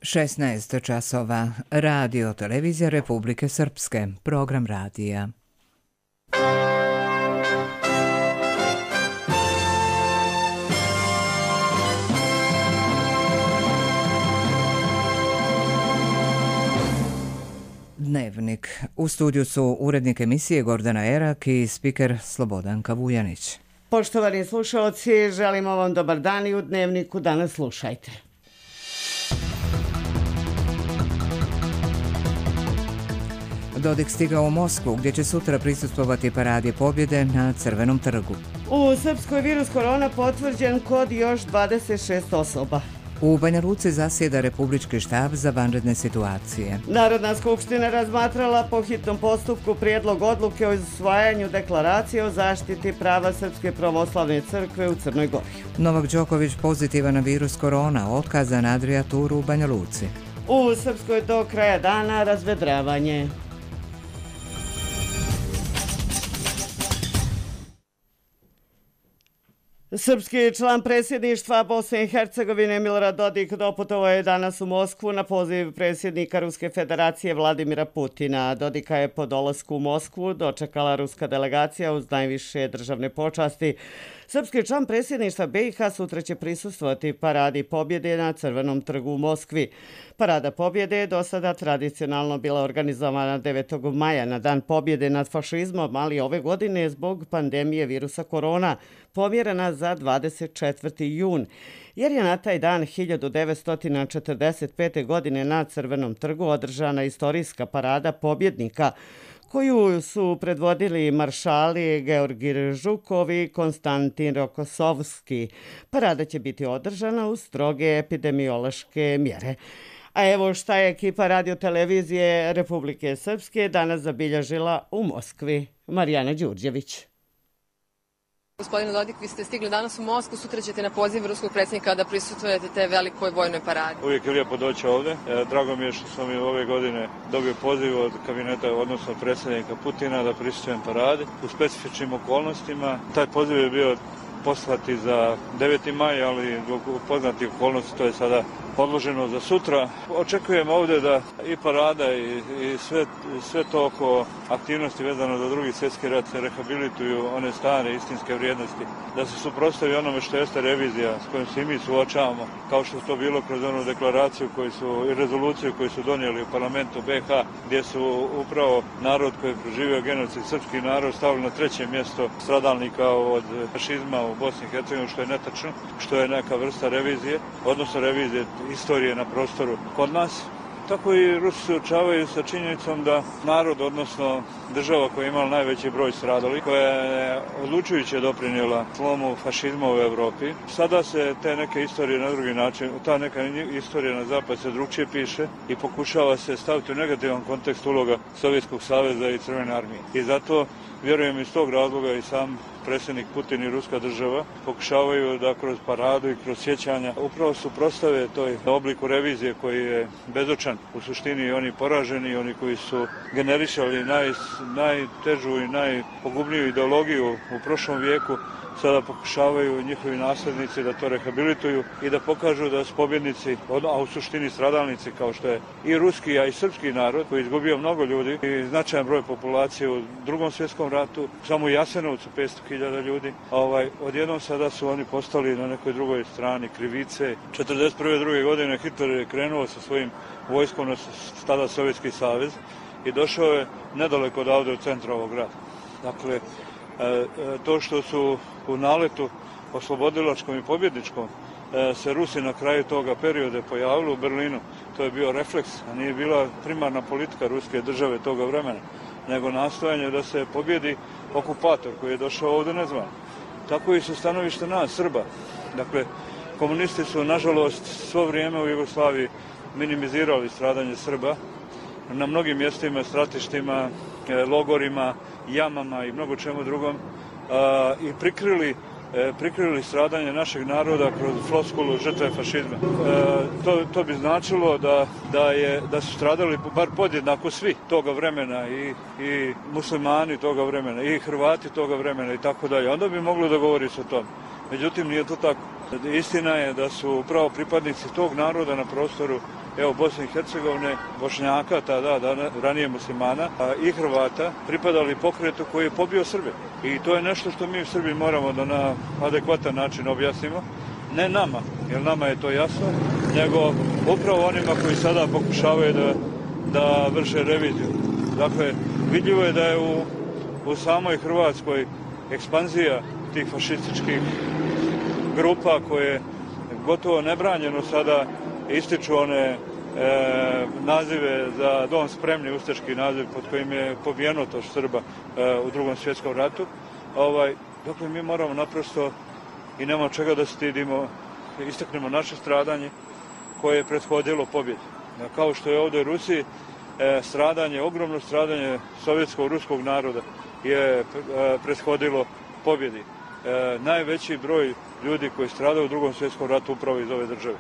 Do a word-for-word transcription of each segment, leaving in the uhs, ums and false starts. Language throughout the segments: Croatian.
šesnaest časova. Radio Televizija Republike Srpske. Program radija. Dnevnik. U studiju su urednik emisije Gordana Erak i spiker Slobodanka Vujanić. Poštovani slušalci, želimo vam dobar dan i u Dnevniku danas slušajte. Dodik stigao u Moskvu, gdje će sutra prisustvovati paradi pobjede na Crvenom trgu. U Srpskoj virus korona potvrđen kod još dvadeset šest osoba. U Banja Luci zasjeda Republički štab za vanredne situacije. Narodna skupština razmatrala po hitnom postupku prijedlog odluke o usvajanju deklaracije o zaštiti prava Srpske pravoslavne crkve u Crnoj Gori. Novak Đoković pozitivan na virus korona, otkazan na Adriaturu u Banja Luci. U Srpskoj do kraja dana razvedravanje. Srpski član predsjedništva Bosne i Hercegovine Milorad Dodik doputovao je danas u Moskvu na poziv predsjednika Ruske federacije Vladimira Putina. Dodika je po dolasku u Moskvu dočekala ruska delegacija uz najviše državne počasti. Srpski član predsjedništva B i H sutra će prisustvovati paradi pobjede na Crvenom trgu u Moskvi. Parada pobjede je do sada tradicionalno bila organizovana devetog maja na dan pobjede nad fašizmom, ali ove godine zbog pandemije virusa korona pomjerena za dvadeset četvrti jun, jer je na taj dan hiljadu devetsto četrdeset pete. godine na Crvenom trgu održana istorijska parada pobjednika, koju su predvodili maršali Georgij Žukov i Konstantin Rokosovski. Parada će biti održana uz stroge epidemiološke mjere. A evo šta je ekipa Radio Televizije Republike Srpske danas zabilježila u Moskvi. Marijana Đurđević. Gospodine Dodik, vi ste stigli danas u Moskvu, sutra ćete na poziv ruskog predsjednika da prisutujete te velikoj vojnoj paradi. Uvijek je lijepo doći ovdje. Drago mi je što sam i ove godine dobio poziv od kabineta, odnosno predsjednika Putina, da prisutujem paradi u specifičnim okolnostima. Taj poziv je bio poslati za deveti maj, ali zbog poznatih okolnosti to je sada odloženo za sutra. Očekujem ovdje da i parada i, i sve, sve to oko aktivnosti vezano za drugi svjetski rat se rehabilituju one stare istinske vrijednosti, da se suprotstavi onome što jeste revizija s kojom se i mi suočavamo, kao što to bilo kroz onu deklaraciju koju su, i rezoluciju koju su donijeli u parlamentu B H, gdje su upravo narod koji je proživio genocid, srpski narod, stavili na treće mjesto stradalnika od fašizma u Bosni i Hercegovini, što je netačno, što je neka vrsta revizije, odnosno revizije istorije na prostoru kod nas. Tako i Rusi se suočavaju sa činjenicom da narod, odnosno država koja je imala najveći broj stradalih, koja je odlučujuće doprinijela slomu fašizma u Europi, sada se te neke istorije na drugi način, ta neka istorija na zapad se drugčije piše i pokušava se staviti u negativan kontekst uloga Sovjetskog saveza i Crvene armije. I zato vjerujem iz tog razloga i sam predsjednik Putin i ruska država pokušavaju da kroz paradu i kroz sjećanja upravo suprotstave toj obliku revizije koji je bezočan. U suštini oni poraženi, oni koji su generišali naj, najtežu i najpogubniju ideologiju u prošlom vijeku, sada pokušavaju njihovi nasljednici da to rehabilituju i da pokažu da su pobjednici, a u suštini stradalnici kao što je i ruski, a i srpski narod koji je izgubio mnogo ljudi i značajan broj populacije u drugom svjetskom ratu, samo u Jasenovcu petsto hiljada ljudi. A ovaj, odjednom sada su oni postali na nekoj drugoj strani krivice. četrdeset prve druge godine Hitler je krenuo sa svojim vojskom na tada Sovjetski savez i došao je nedaleko odavde u centru ovog grada. Dakle, to što su u naletu oslobodilačkom i pobjedničkom se Rusi na kraju toga perioda pojavili u Berlinu, to je bio refleks, a nije bila primarna politika ruske države toga vremena, nego nastojanje da se pobjedi okupator koji je došao ovdje nezvan. Tako i su stanovište nas, Srba. Dakle, komunisti su, nažalost, svo vrijeme u Jugoslaviji minimizirali stradanje Srba na mnogim mjestima, stratištima, logorima, jamama i mnogo čemu drugom i prikrili, prikrili stradanje našeg naroda kroz floskulu žrtve fašizma. To, to bi značilo da, da, je, da su stradali bar podjednako svi toga vremena i, i muslimani toga vremena i Hrvati toga vremena i tako dalje. Onda bi moglo da govori se o tom. Međutim, nije to tako. Istina je da su upravo pripadnici tog naroda na prostoru evo Bosne i Hercegovine, Bošnjaka, tada, da, ranije muslimana i Hrvata, pripadali pokretu koji je pobio Srbe. I to je nešto što mi u Srbiji moramo da na adekvatan način objasnimo. Ne nama, jer nama je to jasno, nego upravo onima koji sada pokušavaju da, da vrše reviziju. Dakle, vidljivo je da je u, u samoj Hrvatskoj ekspanzija tih fašističkih grupa koje gotovo nebranjeno sada ističu one e, nazive za dom spremni, ustaški naziv pod kojim je pobijeno to Srba e, u drugom svjetskom ratu. Ovaj, dakle, mi moramo naprosto i nema čega da stidimo, istaknemo naše stradanje koje je prethodilo pobjedi. Kao što je ovdje u Rusiji e, stradanje, ogromno stradanje sovjetskog ruskog naroda je e, prethodilo pobjedi. E, najveći broj ljudi koji stradaju u drugom svjetskom ratu upravo iz ove države.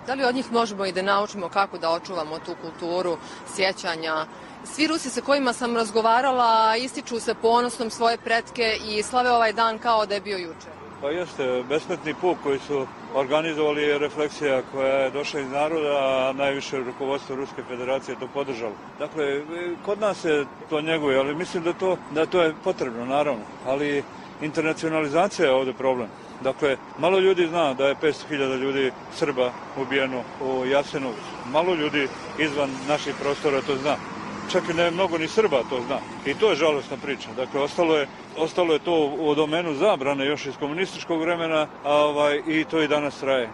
Da li od njih možemo i da naučimo kako da očuvamo tu kulturu sjećanja? Svi Rusi sa kojima sam razgovarala ističu se ponosom svoje pretke i slave ovaj dan kao da je bio juče. Pa jeste, besmetni puk koji su organizovali je refleksija koja je došla iz naroda, a najviše rukovodstvo Ruske federacije to podržalo. Dakle, kod nas se to njeguje, ali mislim da to, da to je potrebno, naravno. Ali internacionalizacija je ovdje problem. Dakle, malo ljudi zna da je petsto hiljada ljudi Srba ubijeno u Jasenovcu. Malo ljudi izvan naših prostora to zna. Čak i ne mnogo ni Srba to zna. I to je žalosna priča. Dakle, ostalo je, ostalo je to u domenu zabrane još iz komunističkog vremena, a ovaj, i to i danas traje.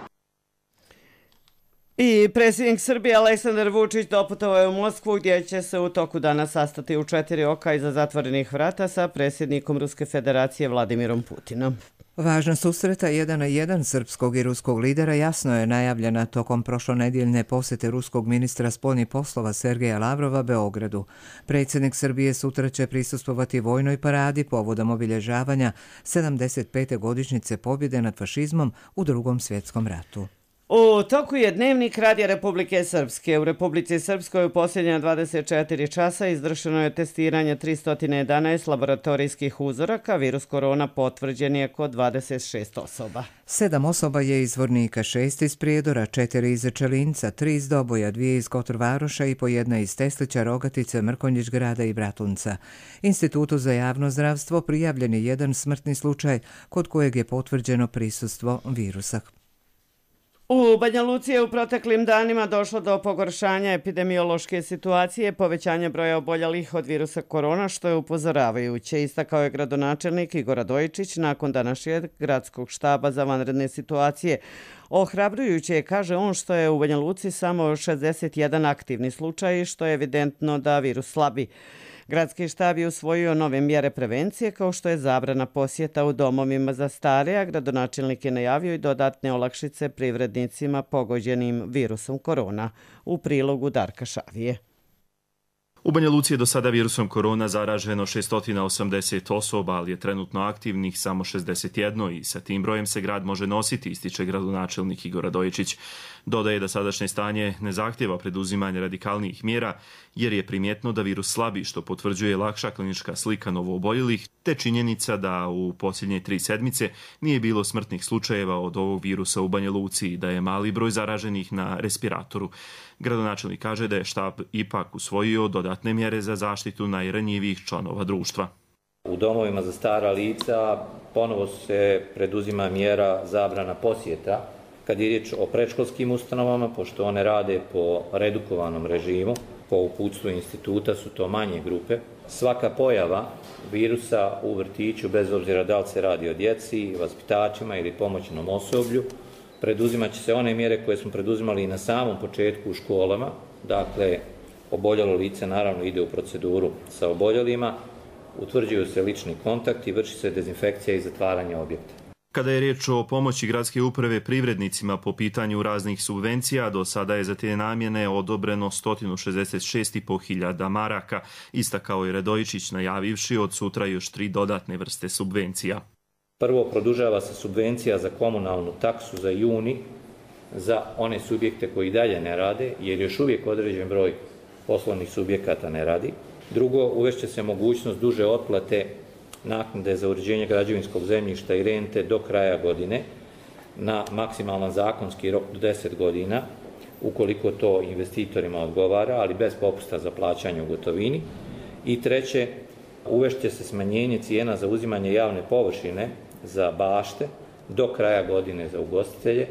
I predsjednik Srbije Aleksandar Vučić doputovao je u Moskvu gdje će se u toku dana sastati u četiri oka iza zatvorenih vrata sa predsjednikom Ruske federacije Vladimirom Putinom. Važna susreta jedan na jedan srpskog i ruskog lidera jasno je najavljena tokom prošlonedjeljne posjete ruskog ministra spoljnih poslova Sergeja Lavrova Beogradu. Predsjednik Srbije sutra će prisustvovati vojnoj paradi povodom obilježavanja sedamdeset pete godišnjice pobjede nad fašizmom u Drugom svjetskom ratu. U toku je dnevnik Radija Republike Srpske. U Republici Srpskoj u posljednja dvadeset četiri časa izvršeno je testiranje tristo jedanaest laboratorijskih uzoraka. Virus korona potvrđen je kod dvadeset šest osoba. Sedam osoba je iz Vornika, šest iz Prijedora, četiri iz Čelinca, tri iz Doboja, dvije iz Kotorvaroša i po jedna iz Teslića, Rogatice, Mrkonjić grada i Bratunca. Institutu za javno zdravstvo prijavljen je jedan smrtni slučaj kod kojeg je potvrđeno prisustvo virusa. U Banja Luci je u proteklim danima došlo do pogoršanja epidemiološke situacije, povećanja broja oboljelih od virusa korona, što je upozoravajuće, istakao je gradonačelnik Igor Radojičić nakon današnjeg gradskog štaba za vanredne situacije. Ohrabrujuće je, kaže on, što je u Banja Luci samo šezdeset jedan aktivni slučaj, što je evidentno da virus slabi. Gradski štab je usvojio nove mjere prevencije, kao što je zabrana posjeta u domovima za stare, a gradonačelnik je najavio i dodatne olakšice privrednicima pogođenim virusom korona. U prilogu Darka Šavije. U Banja Luci je do sada virusom korona zaraženo šesto osamdeset osoba, ali je trenutno aktivnih samo šezdeset jedan i sa tim brojem se grad može nositi, ističe gradonačelnik Igor Radojičić. Dodaje da sadašnje stanje ne zahtjeva preduzimanje radikalnijih mjera, jer je primjetno da virus slabi, što potvrđuje lakša klinička slika novooboljelih, te činjenica da u posljednje tri sedmice nije bilo smrtnih slučajeva od ovog virusa u Banja Luci i da je mali broj zaraženih na respiratoru. Gradonačelnik kaže da je štab ipak usvojio dodatne mjere za zaštitu najranjivijih članova društva. U domovima za stara lica ponovo se preduzima mjera zabrana posjeta. Kad je riječ o predškolskim ustanovama, pošto one rade po redukovanom režimu, po uputstvu instituta su to manje grupe, svaka pojava virusa u vrtiću, bez obzira da li se radi o djeci, vaspitačima ili pomoćnom osoblju, preduzimat će se one mjere koje smo preduzimali i na samom početku u školama. Dakle, oboljelo lice naravno ide u proceduru sa oboljelima, utvrđuju se lični kontakti, vrši se dezinfekcija i zatvaranje objekta. Kada je riječ o pomoći gradske uprave privrednicima po pitanju raznih subvencija, do sada je za te namjene odobreno sto šezdeset šest i po hiljada maraka, istakao je Radojičić najavivši od sutra još tri dodatne vrste subvencija. Prvo, produžava se subvencija za komunalnu taksu za juni za one subjekte koji dalje ne rade, jer još uvijek određen broj poslovnih subjekata ne radi. Drugo, uvešće se mogućnost duže otplate naknade za uređenje građevinskog zemljišta i rente do kraja godine. na maksimalan zakonski rok do deset godina, ukoliko to investitorima odgovara, ali bez popusta za plaćanje u gotovini. I treće, uvešće se smanjenje cijena za uzimanje javne površine za bašte do kraja godine za ugostitelje.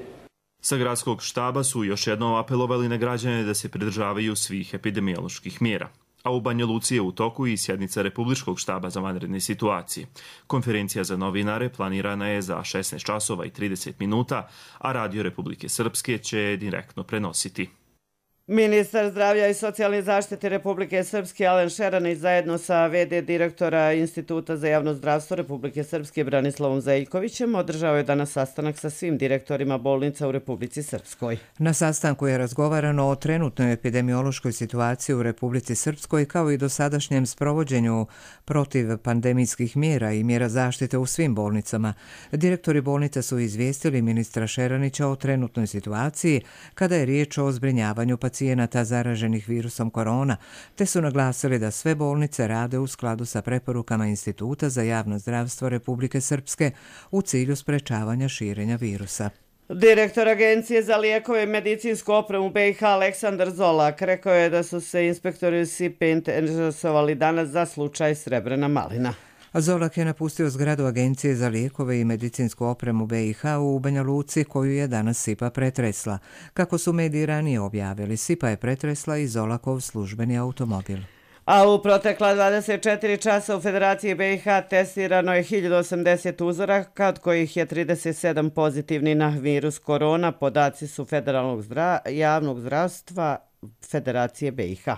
Sa gradskog štaba su još jednom apelovali na građane da se pridržavaju svih epidemioloških mjera. A u Banja Luci je u toku i sjednica Republičkog štaba za vanredne situacije. Konferencija za novinare planirana je za šesnaest časova i trideset minuta, a Radio Republike Srpske će je direktno prenositi. Ministar zdravlja i socijalne zaštite Republike Srpske Alen Šeranić zajedno sa ve de direktora Instituta za javno zdravstvo Republike Srpske Branislavom Zeljkovićem održao je danas sastanak sa svim direktorima bolnica u Republici Srpskoj. Na sastanku je razgovarano o trenutnoj epidemiološkoj situaciji u Republici Srpskoj kao i dosadašnjem sprovođenju protiv pandemijskih mjera i mjera zaštite u svim bolnicama. Direktori bolnica su izvijestili ministra Šeranića o trenutnoj situaciji kada je riječ o zbrinjavanju pacijenata zaraženih virusom korona, te su naglasili da sve bolnice rade u skladu sa preporukama Instituta za javno zdravstvo Republike Srpske u cilju sprečavanja širenja virusa. Direktor Agencije za lijekove i medicinsku opremu be i ha Aleksandar Zolak rekao je da su se inspektori S I P E interesovali danas za slučaj Srebrena malina. Zolak je napustio zgradu Agencije za lijekove i medicinsku opremu be i ha u Banja Luci, koju je danas S I P A pretresla. Kako su mediji ranije objavili, S I P A je pretresla i Zolakov službeni automobil. A u protekla dvadeset četiri časa u Federaciji be i ha testirano je hiljadu osamdeset uzoraka, od kojih je trideset sedam pozitivni na virus korona. Podaci su Federalnog zdra... javnog zdravstva Federacije be i ha.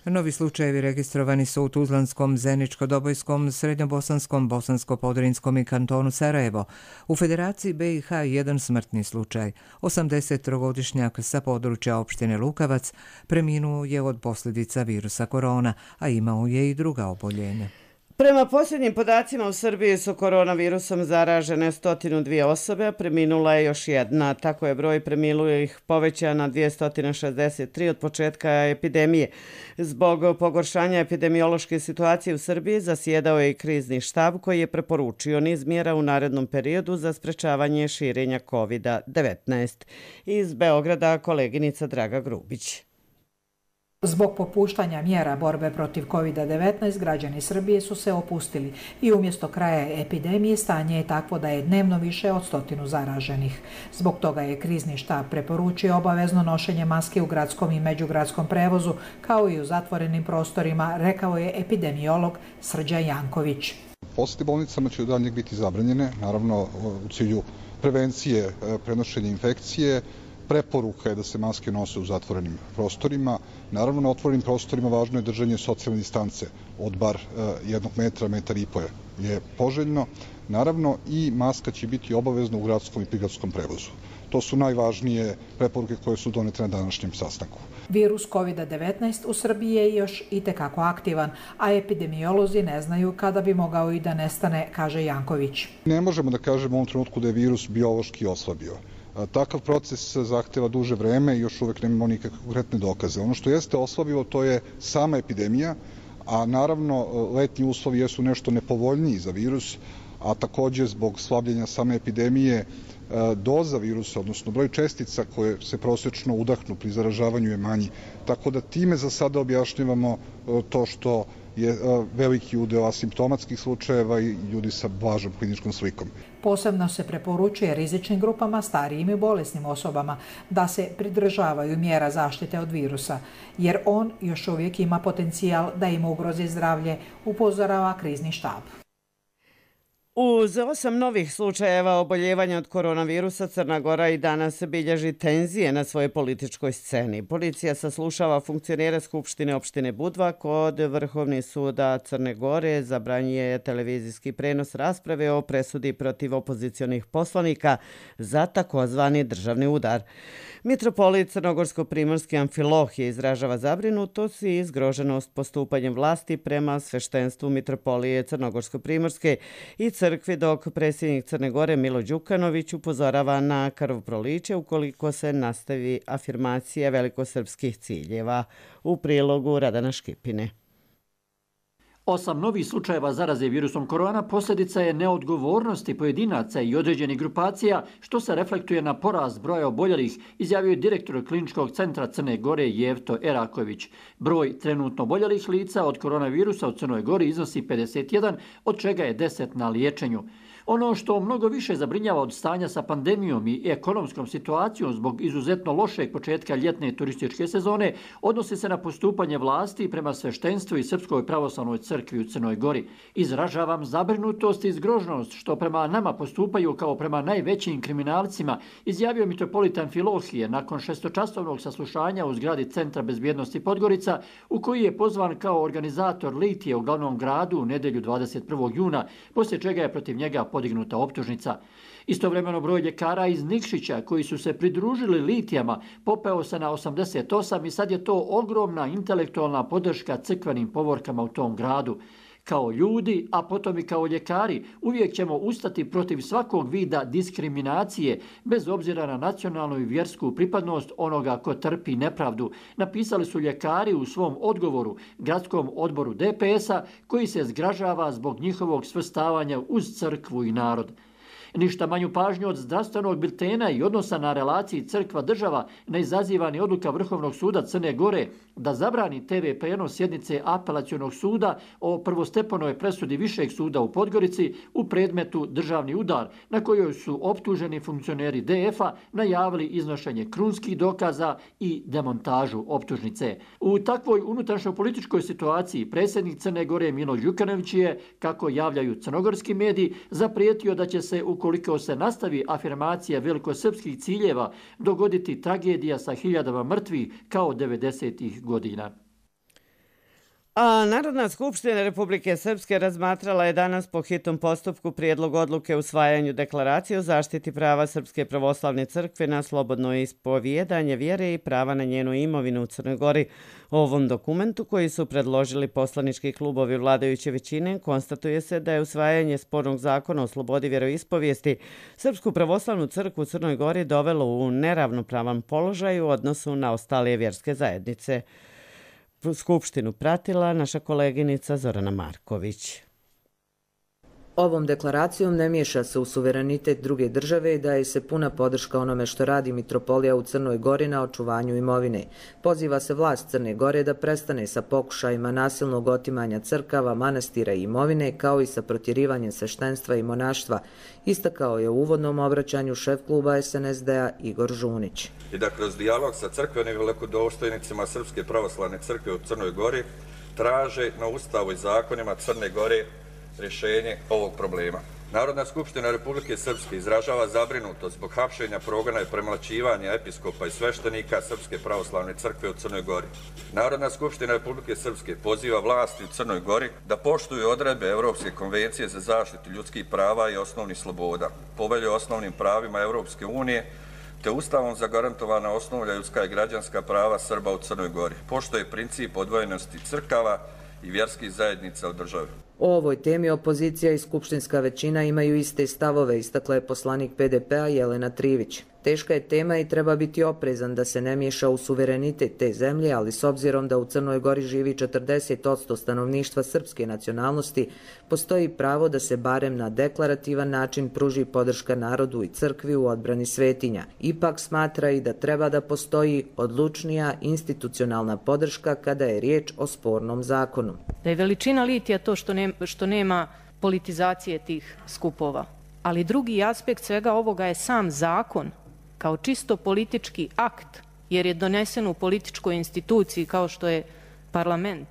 Novi slučajevi registrovani su u Tuzlanskom, Zeničko-Dobojskom, Srednjobosanskom, Bosansko-Podrinskom i kantonu Sarajevo. U Federaciji be i ha jedan smrtni slučaj. osamdesettrogodišnjak sa područja opštine Lukavac preminuo je od posljedica virusa korona, a imao je i druga oboljenja. Prema posljednjim podacima u Srbiji su koronavirusom zaražene sto dvije osobe, a preminula je još jedna. Tako je broj preminulih povećan na dvjesto šezdeset tri od početka epidemije. Zbog pogoršanja epidemiološke situacije u Srbiji zasjedao je i krizni štab koji je preporučio niz mjera u narednom periodu za sprečavanje širenja kovid devetnaest. Iz Beograda koleginica Draga Grubić. Zbog popuštanja mjera borbe protiv kovid devetnaest, građani Srbije su se opustili i umjesto kraja epidemije stanje je takvo da je dnevno više od stotinu zaraženih. Zbog toga je krizni štab preporučio obavezno nošenje maske u gradskom i međugradskom prevozu, kao i u zatvorenim prostorima, rekao je epidemiolog Srđan Janković. Posjete bolnicama će od daljnjeg biti zabranjene, naravno u cilju prevencije prenošenja infekcije. Preporuka je da se maske nose u zatvorenim prostorima. Naravno, na otvorenim prostorima važno je držanje socijalne distance od bar jednog metra, metar i po je poželjno. Naravno, i maska će biti obavezna u gradskom i prigradskom prevozu. To su najvažnije preporuke koje su donete na današnjem sastanku. Virus kovid devetnaest u Srbiji je još itekako aktivan, a epidemiolozi ne znaju kada bi mogao i da nestane, kaže Janković. Ne možemo da kažemo u ovom trenutku da je virus biološki oslabio. Takav proces zahteva duže vreme i još uvek nemamo nikakve konkretne dokaze. Ono što jeste oslabilo to je sama epidemija, a naravno letnji uslovi jesu nešto nepovoljniji za virus, a također zbog slabljenja same epidemije doza virusa, odnosno broj čestica koje se prosječno udahnu pri zaražavanju je manji. Tako da time za sada objašnjavamo to što je veliki udeo asimptomatskih slučajeva i ljudi sa blažom kliničkom slikom. Posebno se preporučuje rizičnim grupama, starijim i bolesnim osobama da se pridržavaju mjera zaštite od virusa, jer on još uvijek ima potencijal da im ugrozi zdravlje, upozorava krizni štab. Uz osam novih slučajeva oboljevanja od koronavirusa, Crna Gora i danas bilježi tenzije na svojoj političkoj sceni. Policija saslušava funkcionere Skupštine opštine Budva, kod Vrhovni suda Crne Gore zabranjuje televizijski prenos rasprave o presudi protiv opozicionih poslanika za takozvani državni udar. Mitropolit Crnogorsko-primorski Amfilohije izražava zabrinutost i zgroženost postupanjem vlasti prema sveštenstvu Mitropolije Crnogorsko-primorske i crkvi, dok predsjednik Crne Gore Milo Đukanović upozorava na krvoproliće ukoliko se nastavi afirmacija velikosrpskih ciljeva. U prilogu Radana Škipine. Osam novih slučajeva zaraze virusom korona posljedica je neodgovornosti pojedinaca i određenih grupacija, što se reflektuje na porast broja oboljelih, izjavio je direktor Kliničkog centra Crne Gore Jevto Eraković. Broj trenutno oboljelih lica od koronavirusa u Crnoj Gori iznosi pedeset jedan, od čega je deset na liječenju. Ono što mnogo više zabrinjava od stanja sa pandemijom i ekonomskom situacijom zbog izuzetno lošeg početka ljetne turističke sezone odnosi se na postupanje vlasti prema sveštenstvu i Srpskoj pravoslavnoj crkvi u Crnoj Gori. Izražavam zabrinutost i zgroženost što prema nama postupaju kao prema najvećim kriminalcima, izjavio mitropolitan Filohije nakon šestočasovnog saslušanja u zgradi Centra bezbjednosti Podgorica, u koji je pozvan kao organizator litije u glavnom gradu u nedjelju dvadeset prvog juna, poslije čega je protiv njega podignuta optužnica. Istovremeno broj ljekara iz Nikšića koji su se pridružili litijama popeo se na osamdeset osam i sad je to ogromna intelektualna podrška crkvenim povorkama u tom gradu. Kao ljudi, a potom i kao ljekari, uvijek ćemo ustati protiv svakog vida diskriminacije, bez obzira na nacionalnu i vjersku pripadnost onoga ko trpi nepravdu, napisali su ljekari u svom odgovoru gradskom odboru D P S-a, koji se zgražava zbog njihovog svrstavanja uz crkvu i narod. Ništa manju pažnju od zdravstvenog biltena i odnosa na relaciji crkva-država ne izaziva ni odluka Vrhovnog suda Crne Gore da zabrani T V prenos sjednice apelacionog suda o prvostepenoj presudi Višeg suda u Podgorici u predmetu državni udar, na kojoj su optuženi funkcioneri D F-a najavili iznošenje krunskih dokaza i demontažu optužnice. U takvoj unutrašnjo-političkoj situaciji predsjednik Crne Gore Milo Đukanović je, kako javljaju crnogorski mediji, zaprijetio da će se u ukoliko se nastavi afirmacija velikosrpskih ciljeva, dogoditi tragedija sa hiljadama mrtvih kao devedesetih godina. A Narodna skupština Republike Srpske razmatrala je danas po hitnom postupku prijedlog odluke o usvajanju deklaracije o zaštiti prava Srpske pravoslavne crkve na slobodno ispovijedanje vjere i prava na njenu imovinu u Crnoj Gori. O ovom dokumentu koji su predložili poslanički klubovi vladajuće većine konstatuje se da je usvajanje spornog zakona o slobodi vjeroispovijesti Srpsku pravoslavnu crkvu u Crnoj Gori dovelo u neravnopravan položaj u odnosu na ostale vjerske zajednice. Skupštinu pratila naša koleginica Zorana Marković. Ovom deklaracijom ne miješa se u suverenitet druge države i daje se puna podrška onome što radi mitropolija u Crnoj Gori na očuvanju imovine. Poziva se vlast Crne Gore da prestane sa pokušajima nasilnog otimanja crkava, manastira i imovine, kao i sa protjerivanjem sveštenstva i monaštva, istakao je u uvodnom obraćanju šef kluba S N S D-a Igor Žunić. I da kroz dijalog sa crkvenim velikodostojnicima Srpske pravoslavne crkve u Crnoj Gori traže na ustavu i zakonima Crne Gore rješenje ovog problema. Narodna skupština Republike Srpske izražava zabrinutost zbog hapšenja, progona i premlaćivanja episkopa i sveštenika Srpske pravoslavne crkve u Crnoj Gori. Narodna skupština Republike Srpske poziva vlasti u Crnoj Gori da poštuju odredbe Europske konvencije za zaštitu ljudskih prava i osnovnih sloboda, Povelje o osnovnim pravima Europske unije, te ustavom zagarantovana osnovna ljudska i građanska prava Srba u Crnoj Gori. Poštuje princip odvojenosti crkava i vjerskih zajednica u državi. O ovoj temi opozicija i skupštinska većina imaju iste stavove, istakla je poslanik P D P-a Jelena Trivić. Teška je tema i treba biti oprezan da se ne miješa u suverenitet te zemlje, ali s obzirom da u Crnoj Gori živi četrdeset posto stanovništva srpske nacionalnosti, postoji pravo da se barem na deklarativan način pruži podrška narodu i crkvi u odbrani svetinja. Ipak smatra i da treba da postoji odlučnija institucionalna podrška kada je riječ o spornom zakonu. Da je veličina litija to što nema, što nema politizacije tih skupova. Ali drugi aspekt svega ovoga je sam zakon kao čisto politički akt, jer je donesen u političkoj instituciji kao što je parlament.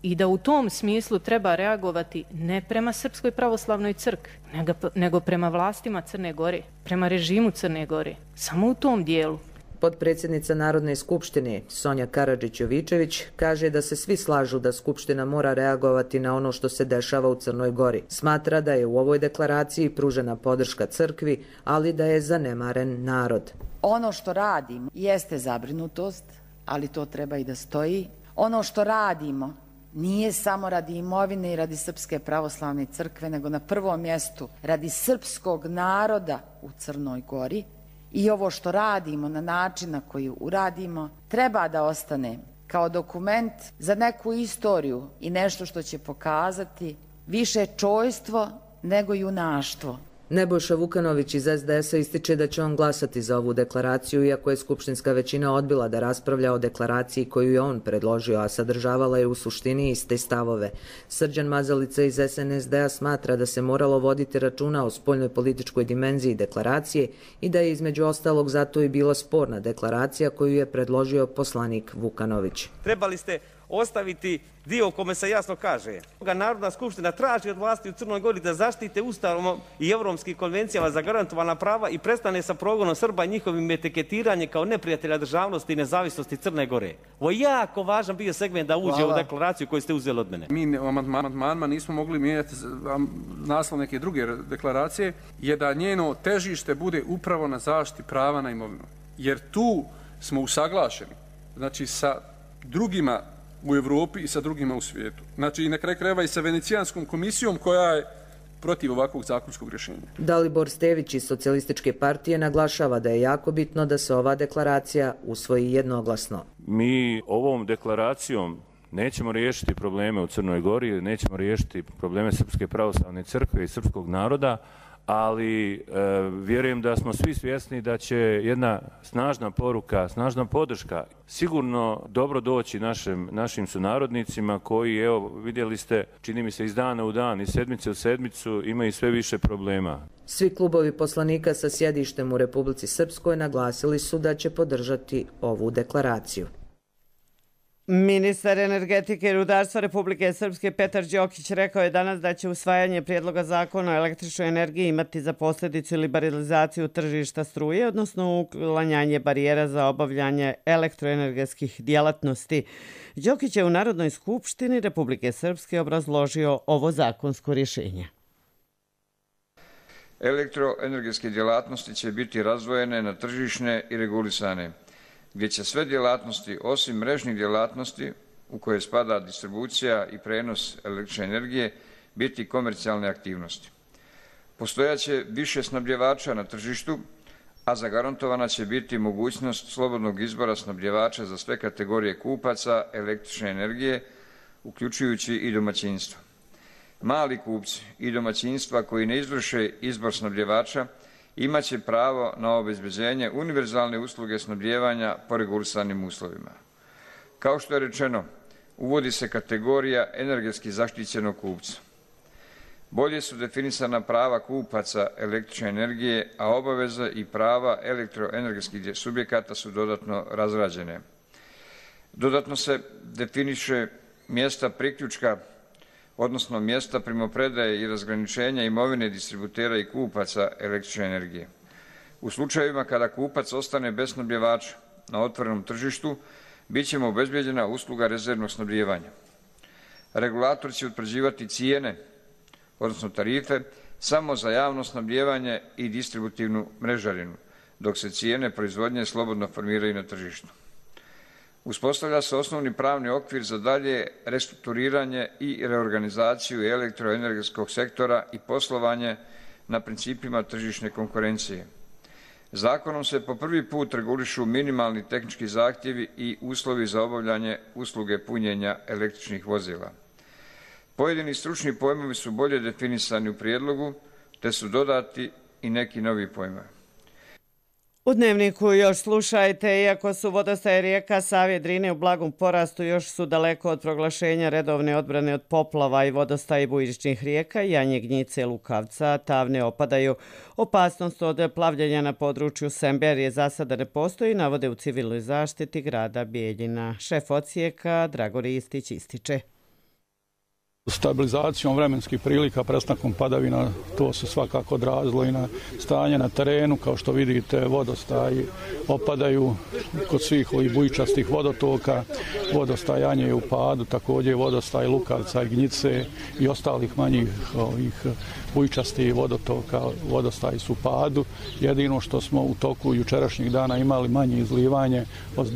I da u tom smislu treba reagovati ne prema Srpskoj pravoslavnoj crkvi, nego, nego prema vlastima Crne Gore, prema režimu Crne Gore. Samo u tom dijelu. Potpredsjednica Narodne skupštine Sonja Karadžić-Jovičević kaže da se svi slažu da Skupština mora reagovati na ono što se dešava u Crnoj Gori. Smatra da je u ovoj deklaraciji pružena podrška crkvi, ali da je zanemaren narod. Ono što radimo jeste zabrinutost, ali to treba i da stoji. Ono što radimo nije samo radi imovine i radi Srpske pravoslavne crkve, nego na prvom mjestu radi srpskog naroda u Crnoj Gori. I ovo što radimo na način na koji uradimo treba da ostane kao dokument za neku istoriju i nešto što će pokazati više čojstvo nego junaštvo. Nebojša Vukanović iz es de es a ističe da će on glasati za ovu deklaraciju, iako je skupštinska većina odbila da raspravlja o deklaraciji koju je on predložio, a sadržavala je u suštini iste stavove. Srđan Mazalica iz es en es de a smatra da se moralo voditi računa o spoljnoj političkoj dimenziji deklaracije i da je između ostalog zato i bila sporna deklaracija koju je predložio poslanik Vukanović. Trebali ste ostaviti dio u kome se jasno kaže: Narodna skupština traži od vlasti u Crnoj Gori da zaštite Ustavom i evropskim konvencijama zagarantovana prava i prestane sa progonom Srba i njihovim etiketiranjem kao neprijatelja državnosti i nezavisnosti Crne Gore. Ovo je jako važan bio segment da uđe Hvala. u deklaraciju koju ste uzeli od mene. Mi u amandmanima nismo mogli mijenjati naslov neke druge deklaracije, je da njeno težište bude upravo na zaštiti prava na imovinu. Jer tu smo usaglašeni, znači sa drugima u Evropi i sa drugima u svijetu. Znači i na kraju krajeva i sa Venecijanskom komisijom koja je protiv ovakvog zakonskog rješenja. Dalibor Stević iz Socijalističke partije naglašava da je jako bitno da se ova deklaracija usvoji jednoglasno. Mi ovom deklaracijom nećemo riješiti probleme u Crnoj Gori, nećemo riješiti probleme Srpske pravoslavne crkve i srpskog naroda, ali e, vjerujem da smo svi svjesni da će jedna snažna poruka, snažna podrška sigurno dobro doći našim, našim sunarodnicima koji, evo, vidjeli ste, čini mi se iz dana u dan, iz sedmice u sedmicu imaju sve više problema. Svi klubovi poslanika sa sjedištem u Republici Srpskoj naglasili su da će podržati ovu deklaraciju. Ministar energetike i rudarstva Republike Srpske Petar Đokić rekao je danas da će usvajanje prijedloga zakona o električnoj energiji imati za posljedicu liberalizaciju tržišta struje, odnosno uklanjanje barijera za obavljanje elektroenergetskih djelatnosti. Đokić je u Narodnoj skupštini Republike Srpske obrazložio ovo zakonsko rješenje. Elektroenergetske djelatnosti će biti razdvojene na tržišne i regulisane, gdje će sve djelatnosti osim mrežnih djelatnosti u koje spada distribucija i prenos električne energije biti komercijalne aktivnosti. Postojaće više snabdjevača na tržištu, a zagarantovana će biti mogućnost slobodnog izbora snabdjevača za sve kategorije kupaca električne energije, uključujući i domaćinstva. Mali kupci i domaćinstva koji ne izvrše izbor snabdjevača imaće pravo na obezbeđenje univerzalne usluge snabdijevanja po regulisanim uslovima. Kao što je rečeno, uvodi se kategorija energetski zaštićenog kupca. Bolje su definisana prava kupaca električne energije, a obaveze i prava elektroenergetskih subjekata su dodatno razrađene. Dodatno se definiše mjesta priključka, odnosno mjesta primopredaje i razgraničenja imovine distributera i kupaca električne energije. U slučajevima kada kupac ostane bez snabdjevača na otvorenom tržištu, bit će mu obezbeđena usluga rezervnog snabdijevanja. Regulator će utvrđivati cijene, odnosno tarife, samo za javno snabdijevanje i distributivnu mrežarinu, dok se cijene proizvodnje slobodno formiraju na tržištu. Uspostavlja se osnovni pravni okvir za dalje restrukturiranje i reorganizaciju elektroenergetskog sektora i poslovanje na principima tržišne konkurencije. Zakonom se po prvi put regulišu minimalni tehnički zahtjevi i uslovi za obavljanje usluge punjenja električnih vozila. Pojedini stručni pojmovi su bolje definisani u prijedlogu, te su dodati i neki novi pojmovi. U Dnevniku još slušajte, iako su vodostaje rijeka Save i Drine u blagom porastu, još su daleko od proglašenja redovne odbrane od poplava i vodostaje bujičnih rijeka, Janje, Gnjice, Lukavca, Tavne opadaju. Opasnost od plavljenja na području Semberije za sada ne postoji, navode u civilnoj zaštiti grada Bijeljina. Šef odsjeka Dragor Istić ističe. Stabilizacijom vremenskih prilika, prestankom padavina, to se svakako odrazilo i na stanje na terenu. Kao što vidite, vodostaji opadaju kod svih ovih bujičastih vodotoka. Vodostaj Janje je u padu, također vodostaj Lukavca i Gnjice i ostalih manjih ovih bujičastih vodotoka, vodostaji su u padu. Jedino što smo u toku jučerašnjih dana imali manje izlivanje od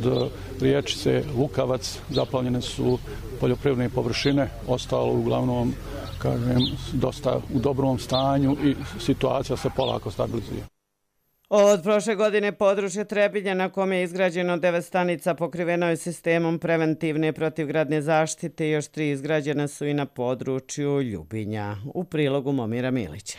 riječice Lukavac, zaplavljene su poljoprivredne površine, ostalo uglavnom, kažem, dosta u dobrom stanju i situacija se polako stabilizuje. Od prošle godine područje Trebinja na kome je izgrađeno devet stanica pokriveno je sistemom preventivne protivgradne zaštite i još tri izgrađene su i na području Ljubinja. U prilogu Momira Milića.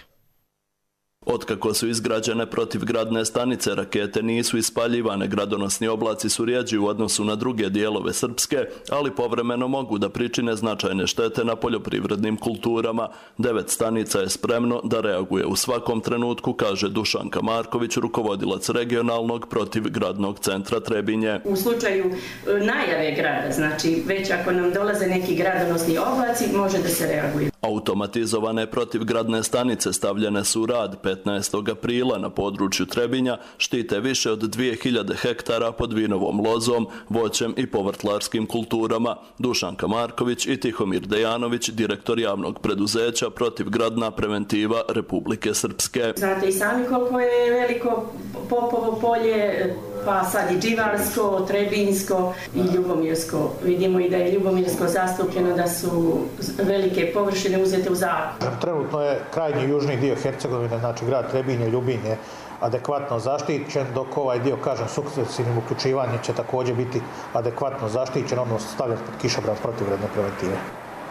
Otkako su izgrađene protivgradne stanice, rakete nisu ispaljivane, gradonosni oblaci su rjeđi u odnosu na druge dijelove Srpske, ali povremeno mogu da pričine značajne štete na poljoprivrednim kulturama. Devet stanica je spremno da reaguje u svakom trenutku, kaže Dušanka Marković, rukovodilac regionalnog protivgradnog centra Trebinje. U slučaju najave grada, znači već ako nam dolaze neki gradonosni oblaci, može da se reaguje. Automatizovane protivgradne stanice stavljene su u rad petnaestog aprila na području Trebinja, štite više od dvije hiljade hektara pod vinovom lozom, voćem i povrtlarskim kulturama. Dušanka Marković i Tihomir Dejanović, direktor javnog preduzeća Protivgradna preventiva Republike Srpske. Znate i sami koliko je veliko Popovo polje, pa sad i Dživarsko, Trebinsko i Ljubomirsko. Vidimo i da je Ljubomirsko zastupljeno, da su velike površine uzete u zakup. Trenutno je krajnji južni dio Hercegovine, znači grad Trebinje, Ljubinje, adekvatno zaštićen, dok ovaj dio, kažem, sukcesivnim uključivanjem će također biti adekvatno zaštićen, odnosno stavljen pod kišobran protivgradne preventive.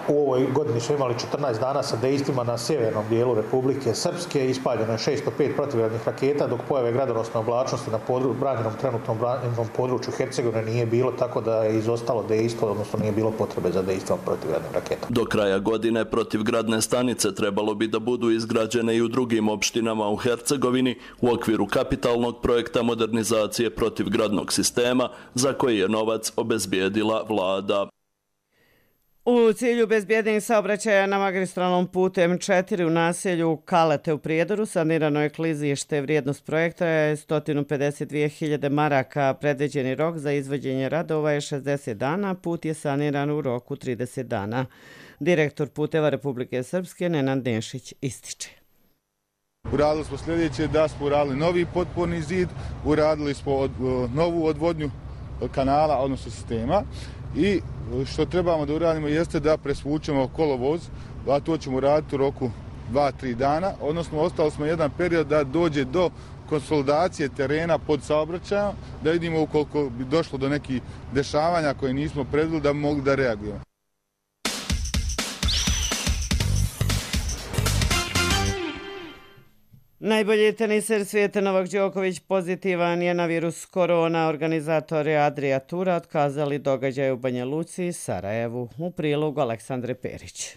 U ovoj godini smo imali četrnaest dana sa dejstvima na sjevernom dijelu Republike Srpske, ispaljeno je šesto pet protivgradnih raketa, dok pojave gradonosne oblačnosti na podru, branjenom trenutnom branjenom području Hercegovine nije bilo, tako da je izostalo dejstvo, odnosno nije bilo potrebe za dejstvom protivgradnim raketom. Do kraja godine protivgradne stanice trebalo bi da budu izgrađene i u drugim opštinama u Hercegovini u okviru kapitalnog projekta modernizacije protivgradnog sistema za koji je novac obezbijedila vlada. U cilju bezbjednijeg saobraćaja na magistralnom putu M četiri u naselju Kalete u Prijedoru sanirano je klizište. Vrijednost projekta je sto pedeset dvije hiljade maraka. Predviđeni rok za izvođenje radova je šezdeset dana. Put je saniran u roku trideset dana. Direktor puteva Republike Srpske Nenad Nešić ističe. Uradili smo sljedeće, da smo uradili novi potporni zid, uradili smo od, novu odvodnju kanala, odnosno sistema. I što trebamo da uradimo jeste da presvučemo kolovoz, a to ćemo raditi u roku dva do tri dana, odnosno ostalo smo jedan period da dođe do konsolidacije terena pod saobraćajem, da vidimo ukoliko bi došlo do nekih dešavanja koje nismo predvidjeli da bi mogli da reagujemo. Najbolji teniser svijeta Novak Đoković pozitivan je na virus korona. Organizatori Adria Tura otkazali događaj u Banja Luci i Sarajevu. U prilogu Aleksandre Perić.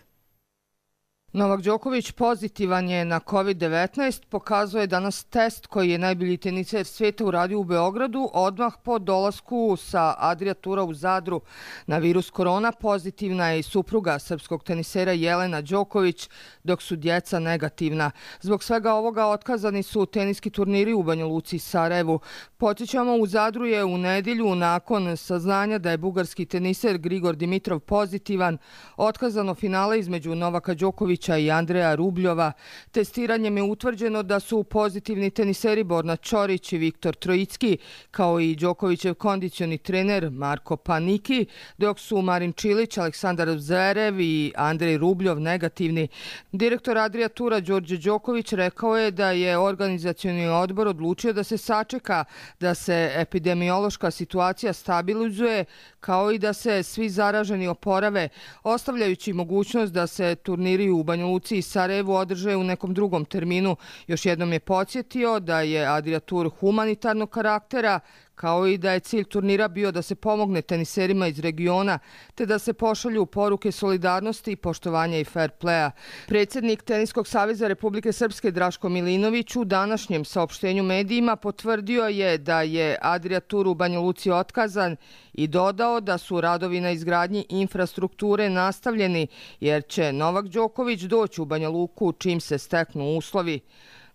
Novak Đoković pozitivan je na kovid devetnaest, pokazuje danas test koji je najbolji teniser svijeta uradio u Beogradu odmah po dolasku sa Adria Tura u Zadru. Na virus korona pozitivna je i supruga srpskog tenisera Jelena Đoković, dok su djeca negativna. Zbog svega ovoga otkazani su teniski turniri u Banja Luci i Sarajevu. Podsjećamo, u Zadru je u nedjelju nakon saznanja da je bugarski teniser Grigor Dimitrov pozitivan otkazano finale između Novaka Đokovića i Andreja Rubljova. Testiranjem je utvrđeno da su pozitivni teniseri Borna Čorić i Viktor Trojicki, kao i Đokovićev kondicioni trener Marko Paniki, dok su Marin Čilić, Aleksandar Zverev i Andrej Rubljov negativni. Direktor Adria Tura Đorđe Đoković rekao je da je organizacioni odbor odlučio da se sačeka da se epidemiološka situacija stabilizuje, kao i da se svi zaraženi oporave, ostavljajući mogućnost da se turniri u Banja Luci i Sarajevu održe u nekom drugom terminu. Još jednom je podsjetio da je Adria Tour humanitarnog karaktera, kao i da je cilj turnira bio da se pomogne teniserima iz regiona, te da se pošalju poruke solidarnosti, poštovanja i fair playa. Predsjednik Teniskog saveza Republike Srpske Draško Milinović u današnjem saopštenju medijima potvrdio je da je Adria Tour u Banja Luci otkazan i dodao da su radovi na izgradnji infrastrukture nastavljeni, jer će Novak Đoković doći u Banja Luku čim se steknu uslovi.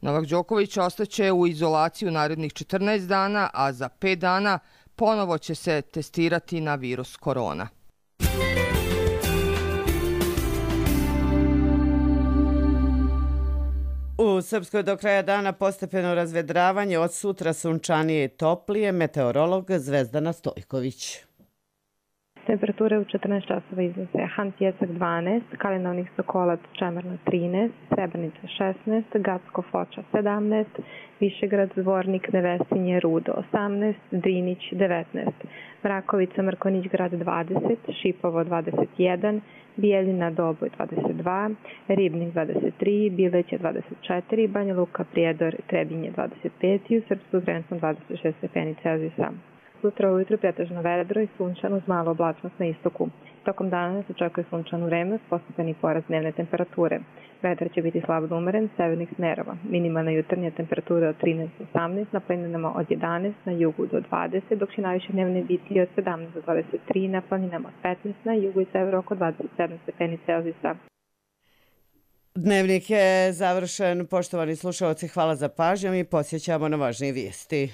Novak Đoković ostaće u izolaciju narednih četrnaest dana, a za pet dana ponovo će se testirati na virus korona. U Srpskoj do kraja dana postepeno razvedravanje, od sutra sunčanije i toplije, meteorolog Zvezdana Stojković. Temperature u četrnaest časova iznose Hantjecak dvanaest, Kalinovnik Sokolac Čemerna trinaest, Srebrenica šesnaest, Gacko Foča sedamnaest, Višegrad Zvornik Nevesinje Rudo osamnaest, Drinić devetnaest, Mrakovica Mrkonić Grad dvadeset, Šipovo dvadeset jedan, Bijeljina Doboj dvadeset dva, Ribnik dvadeset tri, Bileće dvadeset četiri, Banja Luka Prijedor Trebinje dvadeset pet i u Srpsku trenutno dvadeset šest stepeni Celzijusa. Sutra ujutru pretežno vedro i sunčano uz malu oblačnost na istoku. Tokom dana se očekuje sunčano vreme uz postepeni porast dnevne temperature. Vetar će biti slab do umeren severnih smerova. Minimalna jutarnja temperatura od trinaest do osamnaest, na planinama od jedanaest, na jugu do dvadeset, dok će najviše dnevne biti od sedamnaest do dvadeset tri, na planinama od petnaest, na jugu i severu oko dvadeset sedam stepeni Celzijusa. Dnevnik je završen. Poštovani slušalci, hvala za pažnju i posjećamo na važnije vijesti.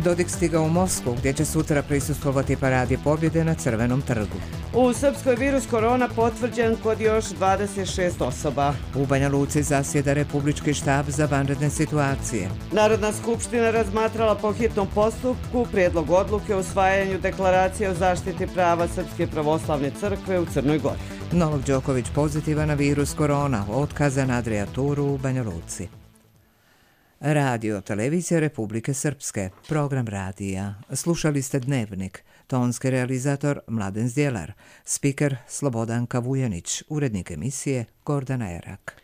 Dodik stigao u Moskvu, gdje će sutra prisustvovati paradi pobjede na Crvenom trgu. U Srpskoj virus korona potvrđen kod još dvadeset šest osoba. U Banja Luci zasjeda Republički štab za vanredne situacije. Narodna skupština razmatrala po hitnom postupku prijedlog odluke o usvajanju deklaracije o zaštiti prava Srpske pravoslavne crkve u Crnoj Gori. Novak Đoković pozitivan na virus korona, otkazan adrijaturu u Banja Luci. Radio Televizija Republike Srpske, program radija. Slušali ste Dnevnik, tonski realizator Mladen Zdjelar, spiker Slobodanka Vujanić, urednik emisije Gordana Erak.